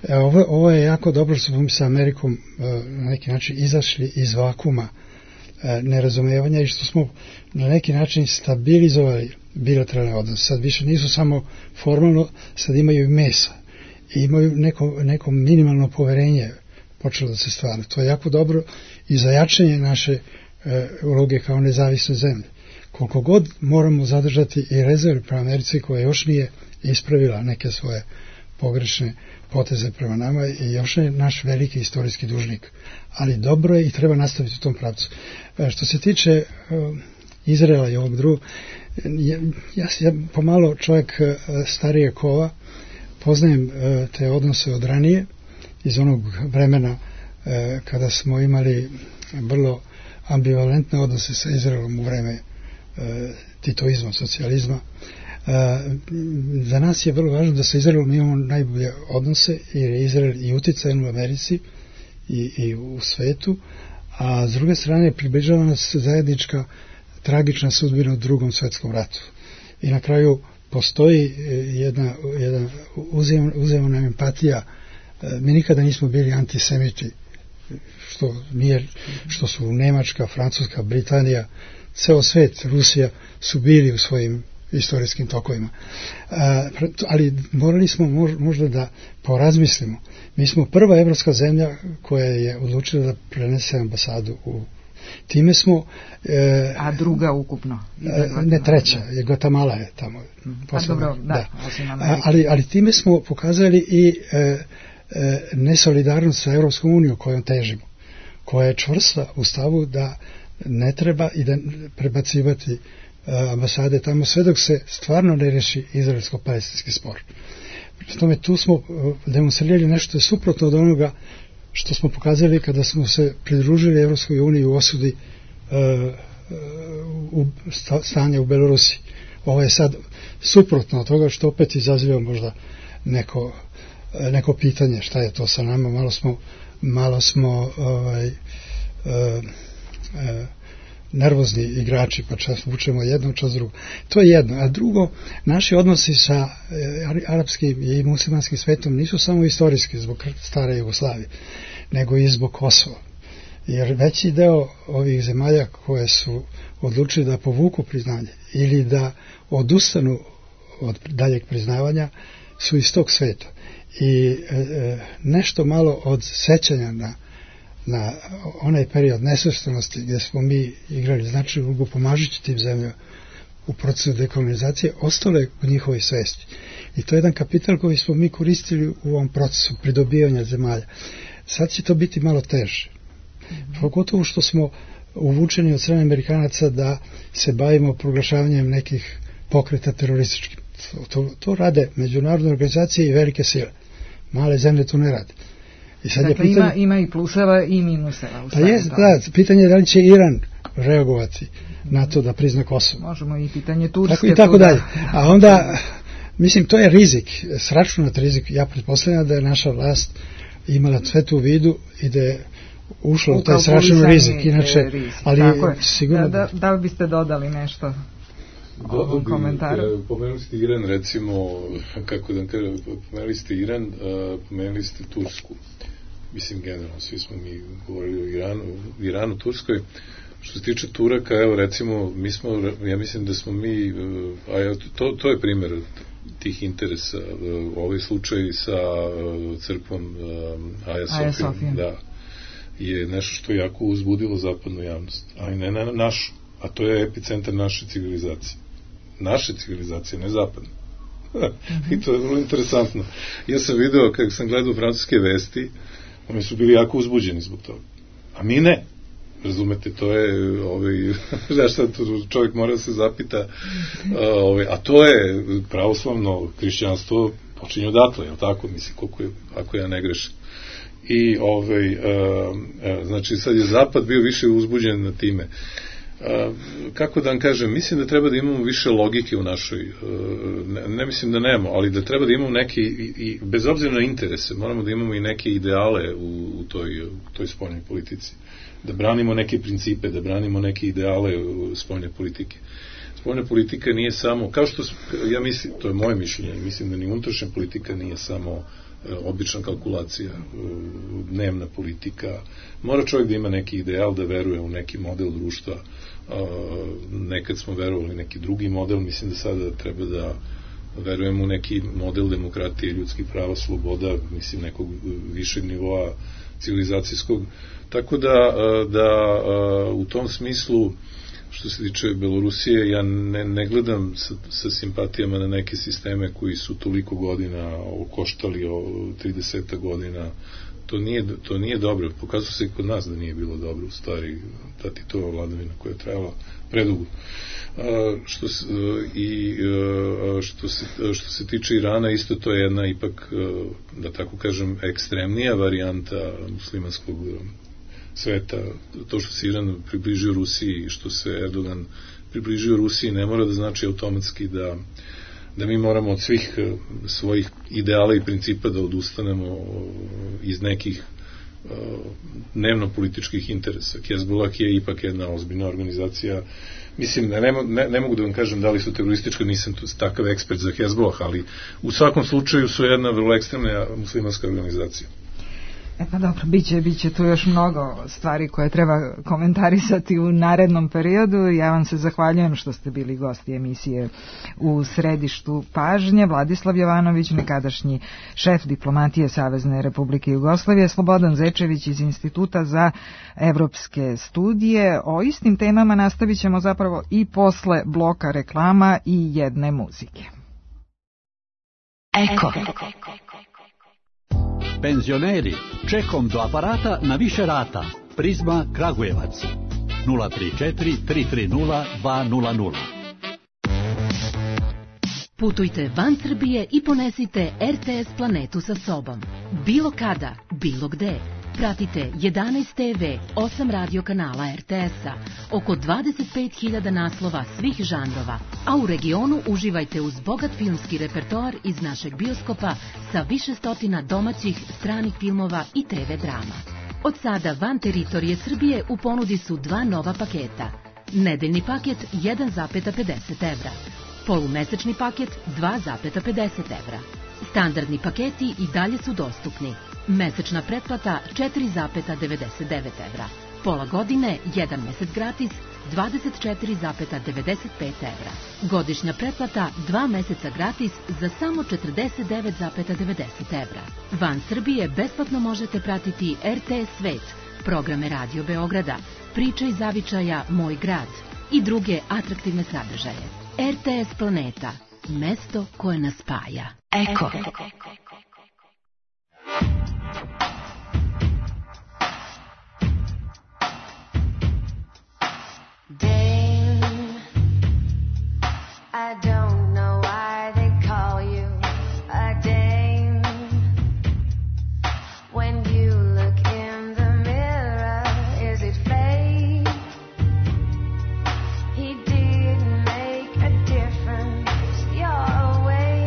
Ovo, ovo je jako dobro što smo sa Amerikom na neki način izašli iz vakuma nerazumevanja i što smo na neki način stabilizovali bilateralne odnose. Sad više nisu samo formalno, sad imaju i mesa i imaju neko, neko minimalno poverenje počelo da se stvara. To je jako dobro i za jačanje naše e, uloge kao nezavisne zemlje. Koliko god moramo zadržati i rezerve prema Americi koja još nije ispravila neke svoje pogrešne poteze prema nama i još je naš veliki istorijski dužnik. Ali dobro je i treba nastaviti u tom pravcu. E, što se tiče e, Izraela i ovog drugog. Ja, ja, ja pomalo čovjek starije kova, poznajem te odnose od ranije, iz onog vremena kada smo imali vrlo ambivalentne odnose sa Izraelom u vreme titoizma, socijalizma. Za nas je vrlo važno da sa Izraelom imamo najbolje odnose, jer je Izrael i uticajan u Americi i, i u svetu, a s druge strane približava nas zajednička tragična sudbina u Drugom svetskom ratu. I na kraju postoji jedna, jedna uzajamna empatija. Mi nikada nismo bili antisemiti, što, nije, što su Nemačka, Francuska, Britanija, ceo svet, Rusija su bili u svojim istorijskim tokovima. A, ali morali smo možda da porazmislimo. Mi smo prva evropska zemlja koja je odlučila da prenese ambasadu u time smo... E, a druga ukupno? E, ne, treća, je Guatemala je tamo. Posledno, a dobro, da. da. A, ali, ali time smo pokazali i e, e, nesolidarnost sa Evropskom unijom kojom težimo, koja je čvrsta u stavu da ne treba i da prebacivati ambasade tamo sve dok se stvarno ne reši izraelsko-palestinski spor. Pri tome tu smo demonstrirali nešto suprotno od onoga što smo pokazali kada smo se pridružili Evropskoj uniji u osudi uh, u stanje u Belorusiji. Ovo je sad suprotno od toga što opet izaziva možda neko, neko pitanje šta je to sa nama. Malo smo, malo smo ovaj, uh, uh, nervozni igrači, pa čas vučemo jedno, čas drugo. To je jedno. A drugo, naši odnosi sa e, arapskim i muslimanskim svetom nisu samo istorijski zbog stare Jugoslavije, nego i zbog Kosova. Jer veći deo ovih zemalja koje su odlučili da povuku priznanje ili da odustanu od daljeg priznavanja su iz tog sveta. I e, nešto malo od sećanja na na onaj period nesvrstanosti gdje smo mi igrali značajnu ulogu pomažući tim zemljama u procesu dekolonizacije, ostale u njihovoj svesti. I to je jedan kapital koji smo mi koristili u ovom procesu pridobivanja zemalja. Sad će to biti malo teže. Mm-hmm. Pogotovo što smo uvučeni od strane Amerikanaca da se bavimo proglašavanjem nekih pokreta terorističkim. To, to, to rade međunarodne organizacije i velike sile. Male zemlje to ne rade. I sad dakle, je pitanje, ima, ima i pluseva i minuseva. Pa jest, da, pitanje je da li će Iran reagovati na to da prizna Kosovo. Možemo i pitanje Turske. Tako i tako dalje. A onda, mislim, to je rizik, sračunat rizik. Ja pretpostavljam da je naša vlast imala sve tu u vidu i da je ušla u taj sračun rizik. Inače, rizik. Ali sigurno... Da, da, da li biste dodali nešto? Dodao bi, pomenuli ste Iran, recimo, kako da kažem, pomenuli ste Iran, pomenuli ste Tursku. Mislim, generalno, svi smo mi govorili o Iranu, Iranu, Turskoj. Što se tiče Turaka, evo, recimo, mi smo, ja mislim da smo mi, a ja, to, to je primjer tih interesa, ovaj slučaj sa crkvom Aja Sofija, da, je nešto što je jako uzbudilo zapadnu javnost, ali ne na našu, a to je epicentar naše civilizacije. Naše civilizacije, ne zapadne. I to je vrlo interesantno. Ja sam video, kako sam gledao francuske vesti, oni su bili jako uzbuđeni zbog toga. A mi ne. Razumete, to je, ovaj, zašto čovjek mora se zapita, ovaj, a to je pravoslavno hrišćanstvo počinje odatle, je li tako? Mislim, koliko je, ako ja ne grešim. I, ovaj, a, a, znači, sad je zapad bio više uzbuđen na time. A, kako da vam kažem, mislim da treba da imamo više logike u našoj, ne, ne mislim da nemamo, ali da treba da imamo neke, i, i bez obzira na interese, moramo da imamo i neke ideale u, u toj, u toj spoljnoj politici. Da branimo neke principe, da branimo neke ideale spoljne politike. Spoljna politika nije samo, kao što, ja mislim, to je moje mišljenje, mislim da ni unutrašnja politika nije samo obična kalkulacija, dnevna politika. Mora čovjek da ima neki ideal, da veruje u neki model društva. Nekad smo verovali neki drugi model, mislim da sada treba da verujemo u neki model demokratije, ljudskih prava, sloboda, mislim nekog višeg nivoa civilizacijskog. Tako da, da u tom smislu, što se tiče Belorusije, ja ne, ne gledam sa, sa simpatijama na neke sisteme koji su toliko godina koštali, trideset godina to nije, to nije dobro. Pokazuje se i kod nas da nije bilo dobro, u stvari, ta Titova vladavina koja je trajala predugo. A, što, se, i, a, što, se, što se tiče Irana, isto to je jedna ipak, da tako kažem, ekstremnija varijanta muslimanskog sveta. To što se Iran približio Rusiji i što se Erdogan približio Rusiji ne mora da znači automatski da da mi moramo od svih svojih ideala i principa da odustanemo iz nekih dnevno-političkih interesa. Hezbollah je ipak jedna ozbiljna organizacija. Mislim, ne, ne, ne mogu da vam kažem da li su teroristička, nisam takav ekspert za Hezbollah, ali u svakom slučaju su jedna vrlo ekstremna muslimanska organizacija. E pa dobro, biće, biće tu još mnogo stvari koje treba komentarisati u narednom periodu. Ja vam se zahvaljujem što ste bili gosti emisije U središtu pažnje. Vladislav Jovanović, nekadašnji šef diplomatije Savezne Republike Jugoslavije, Slobodan Zečević iz Instituta za evropske studije. O istim temama nastavit ćemo zapravo i posle bloka reklama i jedne muzike. Eko. Penzioneri, čekom do aparata na više rata. Prizma Kragujevac. nula tri četiri tri tri nula dva nula nula. Putujte van Srbije i ponesite R T S Planetu sa sobom. Bilo kada, bilo gde. Pratite jedanaest te ve, osam radio kanala R T S-a, oko dvadeset pet hiljada naslova svih žanrova, a u regionu uživajte uz bogat filmski repertoar iz našeg bioskopa sa više stotina domaćih, stranih filmova i te ve drama. Od sada van teritorije Srbije u ponudi su dva nova paketa. Nedeljni paket jedan zarez pedeset evra, polumesečni paket dva zarez pedeset evra. Standardni paketi i dalje su dostupni. Mesečna pretplata četiri zarez devedeset devet evra. Pola godine, jedan mesec gratis, dvadeset četiri zarez devedeset pet evra. Godišnja pretplata, dva meseca gratis za samo četrdeset devet zarez devedeset evra. Van Srbije besplatno možete pratiti R T S Svet, programe Radio Beograda, Priče iz zavičaja Moj grad i druge atraktivne sadržaje. R T S Planeta, mesto koje nas spaja. Eko. I don't know why they call you a dame. When you look in the mirror, is it fate? He didn't make a difference your way.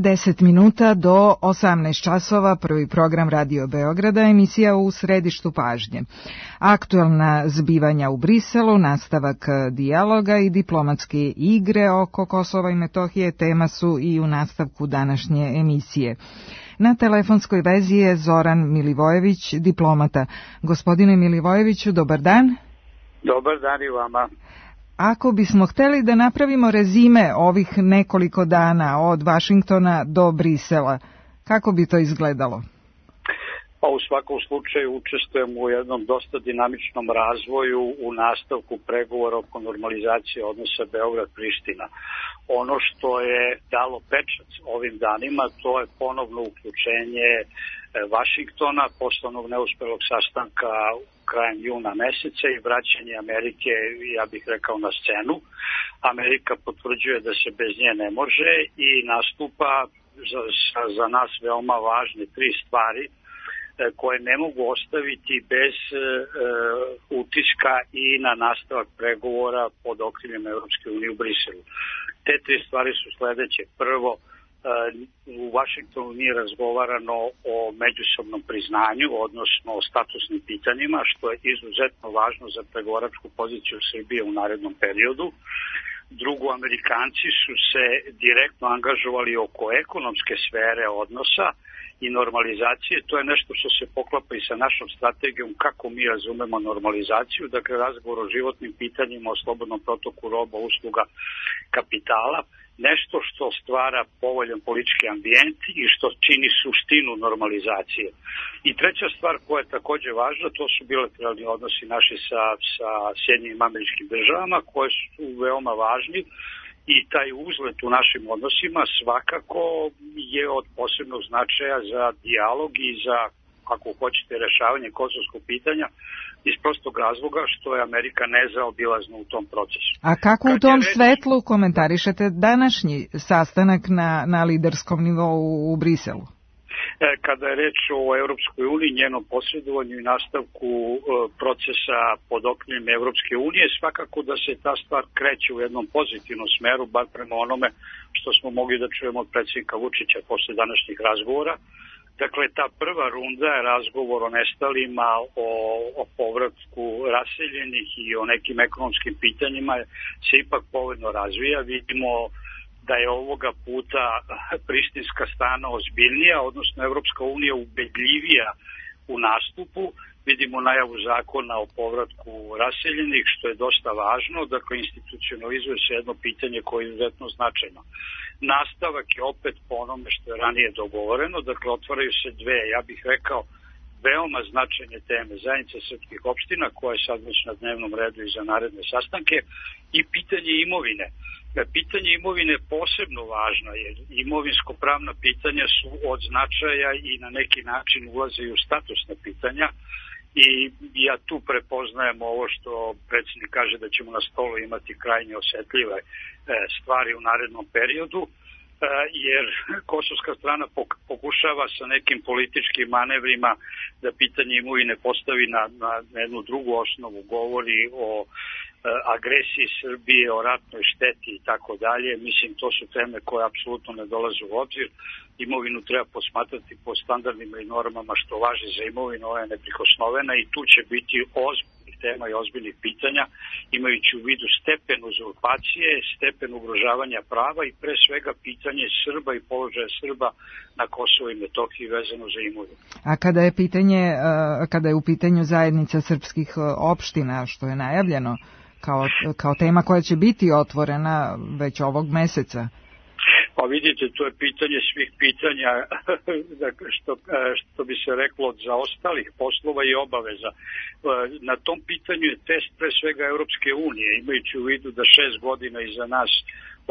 deset minuta do osamnaest časova, prvi program Radio Beograda, emisija U središtu pažnje. Aktuelna zbivanja u Briselu, nastavak dijaloga i diplomatske igre oko Kosova i Metohije tema su i u nastavku današnje emisije. Na telefonskoj vezi je Zoran Milivojević, diplomata. Gospodine Milivojeviću, dobar dan. Dobar dan i vama. Ako bismo hteli da napravimo rezime ovih nekoliko dana od Vašingtona do Brisela, kako bi to izgledalo? Pa u svakom slučaju učestvujemo u jednom dosta dinamičnom razvoju u nastavku pregovora oko normalizacije odnosa Beograd-Priština. Ono što je dalo pečat ovim danima, to je ponovno uključenje Vašingtona, posle onog neuspelog sastanka krajem juna meseca i vraćanje Amerike, ja bih rekao, na scenu. Amerika potvrđuje da se bez nje ne može i nastupa za, za nas veoma važne tri stvari koje ne mogu ostaviti bez e, utiska i na nastavak pregovora pod okriljem Evropske unije u Briselu. Te tri stvari su sledeće. Prvo, e, u Vašingtonu nije razgovarano o međusobnom priznanju, odnosno o statusnim pitanjima, što je izuzetno važno za pregovaračku poziciju Srbije u narednom periodu. Drugo, Amerikanci su se direktno angažovali oko ekonomske sfere odnosa i normalizacije. To je nešto što se poklapa i sa našom strategijom kako mi razumemo normalizaciju, dakle razgovor o životnim pitanjima, o slobodnom protoku roba, usluga, kapitala, nešto što stvara povoljan politički ambijent i što čini suštinu normalizacije. I treća stvar koja je takođe važna, to su bilateralni odnosi naši sa, sa Sjedinjenim Američkim Državama, koje su veoma važni. I taj uzlet u našim odnosima svakako je od posebnog značaja za dijalog i za, ako hoćete, rešavanje kosovskog pitanja iz prostog razloga što je Amerika nezaobilazna u tom procesu. A kako u tom reč... svetlu komentarišete današnji sastanak na, na liderskom nivou u Briselu? Kada je reč o Evropskoj uniji, njenom posredovanju i nastavku procesa pod okriljem Evropske unije, svakako da se ta stvar kreće u jednom pozitivnom smeru, bar prema onome što smo mogli da čujemo od predsjednika Vučića posle današnjih razgovora. Dakle, ta prva runda je razgovor o nestalima, o, o povratku raseljenih i o nekim ekonomskim pitanjima se ipak povoljno razvija. Vidimo da je ovoga puta prištinska strana ozbiljnija, odnosno Evropska unija ubedljivija u nastupu. Vidimo najavu zakona o povratku raseljenih, što je dosta važno. Dakle, institucionalizuje se jedno pitanje koje je izuzetno značajno. Nastavak je opet po onome što je ranije dogovoreno. Dakle, otvaraju se dve, ja bih rekao, veoma značajne teme. Zajednica srpskih opština, koja je sad već na dnevnom redu i za naredne sastanke, i pitanje imovine. Pitanje imovine je posebno važno, jer imovinsko-pravna pitanja su od značaja i na neki način ulaze i u statusna pitanja. I ja tu prepoznajem ovo što predsjednik kaže da ćemo na stolu imati krajnje osetljive stvari u narednom periodu, jer kosovska strana pokušava sa nekim političkim manevrima da pitanje imovine postavi na, na jednu drugu osnovu, govori o agresiji Srbije, o ratnoj šteti i tako dalje. Mislim, to su teme koje apsolutno ne dolaze u obzir. Imovinu treba posmatrati po standardima i normama što važi za imovinu, ona je neprikosnovena i tu će biti ozbiljnih tema i ozbiljnih pitanja, imajući u vidu stepen uzurpacije, stepen ugrožavanja prava i pre svega pitanje Srba i položaja Srba na Kosovo i Metohiji vezano za imovinu. A kada je pitanje, kada je u pitanju zajednica srpskih opština, što je najavljeno kao, kao tema koja će biti otvorena već ovog meseca? Pa vidite, to je pitanje svih pitanja, što, što bi se reklo, od zaostalih poslova i obaveza. Na tom pitanju je test pre svega Evropske unije, imajući u vidu da šest godina iza nas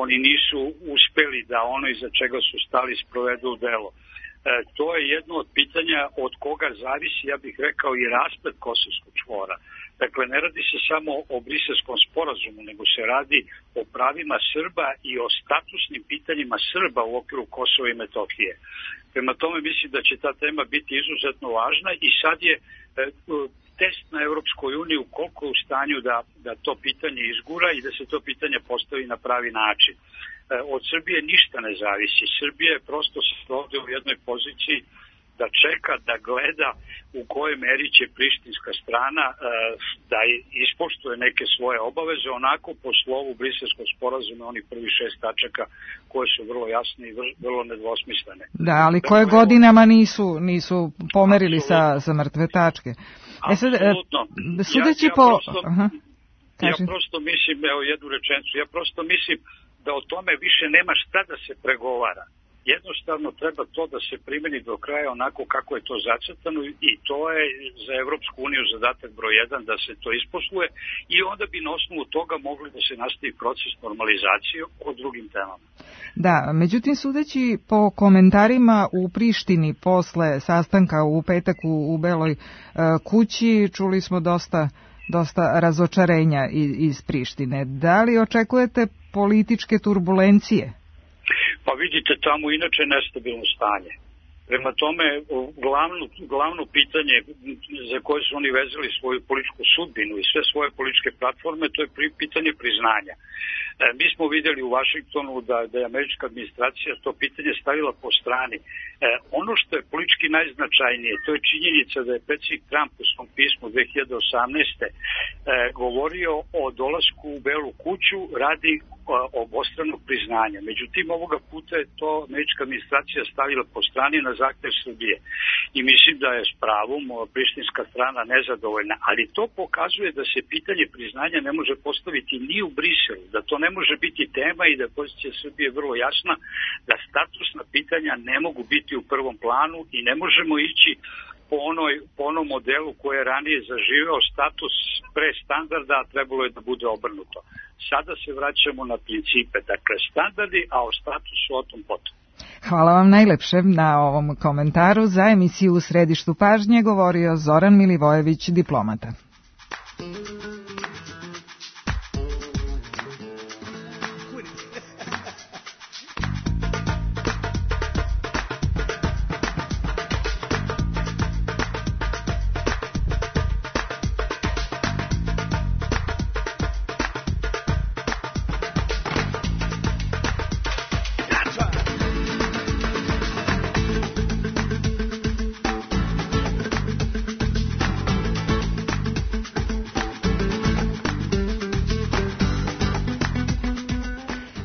oni nisu uspeli da ono iza čega su stali sprovedu u delo. To je jedno od pitanja od koga zavisi, ja bih rekao, i rasplet kosovskog čvora. Dakle, ne radi se samo o Briselskom sporazumu, nego se radi o pravima Srba i o statusnim pitanjima Srba u okviru Kosova i Metohije. Prema tome mislim da će ta tema biti izuzetno važna i sad je e, test na Evropskoj uniji koliko je u stanju da, da to pitanje izgura i da se to pitanje postavi na pravi način. od Srbije ništa ne zavisi. Srbija je prosto ovdje u jednoj poziciji da čeka, da gleda u kojoj meri će prištinska strana da ispoštuje neke svoje obaveze, onako po slovu Briselskog sporazuma, oni prvi šest tačaka koje su vrlo jasne i vrlo nedvosmislene. Da, ali koje dakle, godinama nisu, nisu pomerili sa, sa mrtve tačke. E sad, apsolutno. Sudeći ja, ja po... Prosto, Aha, ja prosto mislim, evo jednu rečenicu, ja prosto mislim da o tome više nema šta da se pregovara. Jednostavno treba to da se primeni do kraja onako kako je to zacrtano i to je za Evropsku uniju zadatak broj jedan da se to isposluje i onda bi na osnovu toga mogli da se nastavi proces normalizacije o drugim temama. Da, međutim sudeći po komentarima u Prištini posle sastanka u petak u, u Beloj uh, kući čuli smo dosta, dosta razočarenja iz, iz Prištine. Da li očekujete političke turbulencije? Pa vidite, tamo inače nestabilno stanje. Prema tome, glavno, glavno pitanje za koje su oni vezali svoju političku sudbinu i sve svoje političke platforme, to je pitanje priznanja. E, mi smo vidjeli u Vašingtonu da, da je američka administracija to pitanje stavila po strani. E, ono što je politički najznačajnije, to je činjenica da je predsjednik Trump u svom pismu dve hiljade osamnaeste. E, govorio o dolasku u Belu kuću radi obostranog priznanja. Međutim, ovoga puta je to američka administracija stavila po strani na zahtev Srbije. I mislim da je s pravom prištinska strana nezadovoljna. Ali to pokazuje da se pitanje priznanja ne može postaviti ni u Briselu, da to ne može biti tema i da je pozicija Srbije vrlo jasna, da statusna pitanja ne mogu biti u prvom planu i ne možemo ići po, onoj, po onom modelu koji je ranije zaživeo status pre standarda, a trebalo je da bude obrnuto. Sada se vraćamo na principe, dakle standardi, a o statusu o tom potom. Hvala vam najlepše na ovom komentaru. Za emisiju U središtu pažnje govorio Zoran Milivojević, diplomata.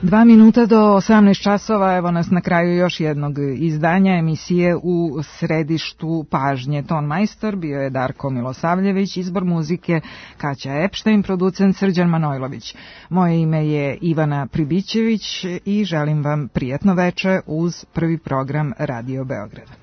Dva minuta do osamnaest časova, evo nas na kraju još jednog izdanja emisije U središtu pažnje. Ton majstor bio je Darko Milosavljević, izbor muzike Kaća Epštajn, producent Srđan Manojlović. Moje ime je Ivana Pribićević i želim vam prijatno veče uz prvi program Radio Beograda.